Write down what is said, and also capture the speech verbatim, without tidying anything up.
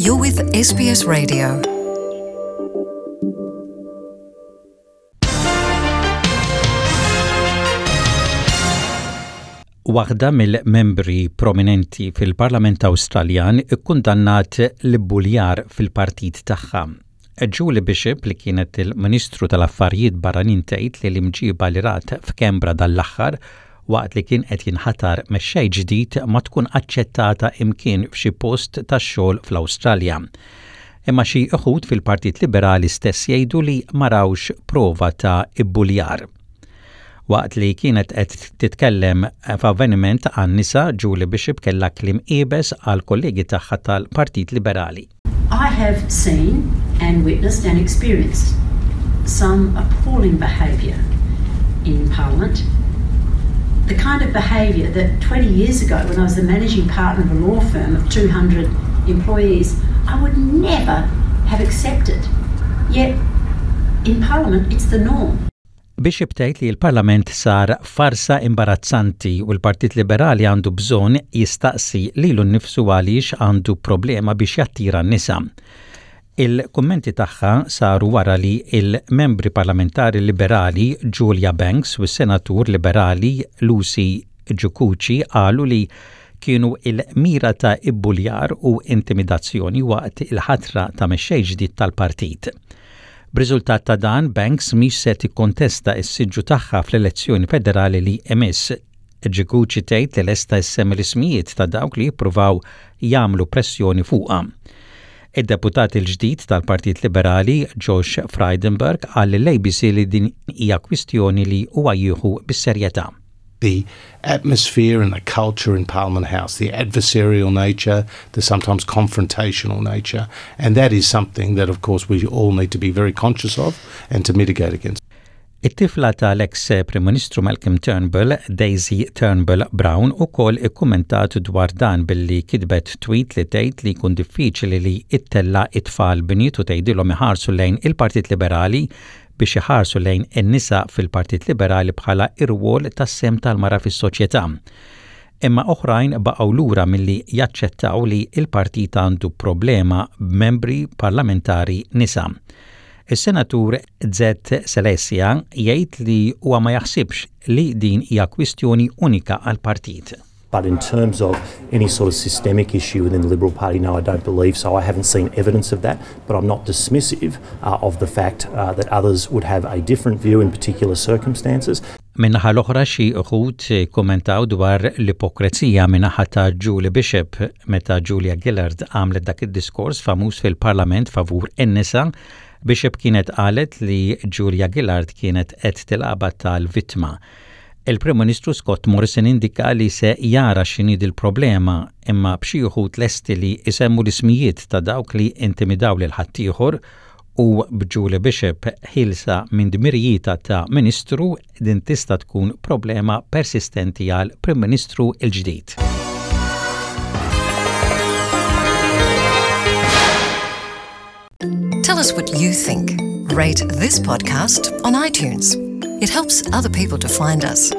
You're with S B S Radio. Waħda mill-membri prominenti fil-Parlament Awstraljan ikkundannat l-ibbuljar fil-partit tagħha. Julie Bishop, li kienet il-Ministru tal-Affarijiet Barranin, tgħid li l-imġiba li rat f'Canberra dal-aħħar waqt li kien qed jinħatar mexxej ġdid ma tkun aċċettata imkien f'xi post tax-xogħol fl-Awstralja. Imma xi uħud fil-Partit Liberali stess jgħidu li ma rawx prova ta' ibbuljar. Waqt li kienet qed titkellem f'avveniment għan-nisa, Julie Bishop kellha kliem iebes għal kollegi tagħha tal-Partit Liberali. I have seen and witnessed and experienced some appalling behaviour in Parliament, the kind of behaviour that twenty years ago, when I was the managing partner of a law firm of two hundred employees, I would never have accepted. Yet, in Parliament, it's the norm. Bishop tgħid li l-Parlament sar farsa imbarazzanti u l-Partit Liberali għandu bżonn jistaqsi lilu nnifsu għaliex għandu problema biex jattira n-nisa. Il-kummenti tagħha saru wara li il-membri parlamentari liberali Julia Banks u s-senatur liberali Lucy Jacucci qalu li kienu il-mira ta' ibbuljar u intimidazzjoni waqt il-ħatra ta' mexxej ġdid tal-partit. B'riżultat ta' dan, Banks mhix se tikkontesta s-siġġu tagħha fl-elezzjoni federali li imiss. Jacucci tgħid li lesta ssemmi l-ismijiet ta' dawk li jippruvaw jagħmlu pressjoni fuqha. Id-deputat il-ġdid tal-Partit Liberali Josh Frydenberg qal lill-A B C li din hija kwistjoni li huwa jieħu bis-serjetà. The atmosphere and the culture in Parliament House, the adversarial nature, the sometimes confrontational nature, and that is something that, of course, we all need to be very conscious of and to mitigate against. It-tifla tal-ex Prim Ministru Malcolm Turnbull, Daisy Turnbull Brown, ukoll ikkummentat dwar dan billi kitbet tweet li tgħid li jkun diffiċli li ittella it-tfal bniet u tgħidilhom iħarsu lejn il-Partit Liberali biex iħarsu lejn in-nisa fil-Partit Liberali bħala ir-rwol tas-sehem tal-mara fis-soċjetà. Imma oħrajn baqgħu lura milli jaċċettaw li il-partit għandu problema b'membri parlamentari nisa. Is-senatur Zed Seselja jgħid li huwa ma jaħsibx li din hija kwistjoni unika għal-partit. But in terms of any sort of systemic issue within the Liberal Party, no, I don't believe so. I haven't seen evidence of that, but I'm not dismissive uh, of the fact uh, that others would have a different view in particular circumstances. Min-naħa l-oħra, xi uħud kommentaw dwar l-ipokrezija min-naħa ta' Julie Bishop. Meta Julia Gillard għamlet dak id-diskors famuż fil-Parlament favur in-nisa, Bishop kienet qalet li Julia Gillard kienet qed tilgħabha tal-vittma. Il-Prim Ministru Scott Morrison indika li se jara x'inhi il-problema, imma b'xi uħud lesti li isemmu l-ismijiet ta' dawk li intimidaw lil ħaddieħor u b'Julie Bishop ħielsa minn dmirijietha ta' ministru, din tista' tkun problema persistenti għal Prim Ministru il-ġdid. Tell us what you think. Rate this podcast on iTunes. It helps other people to find us.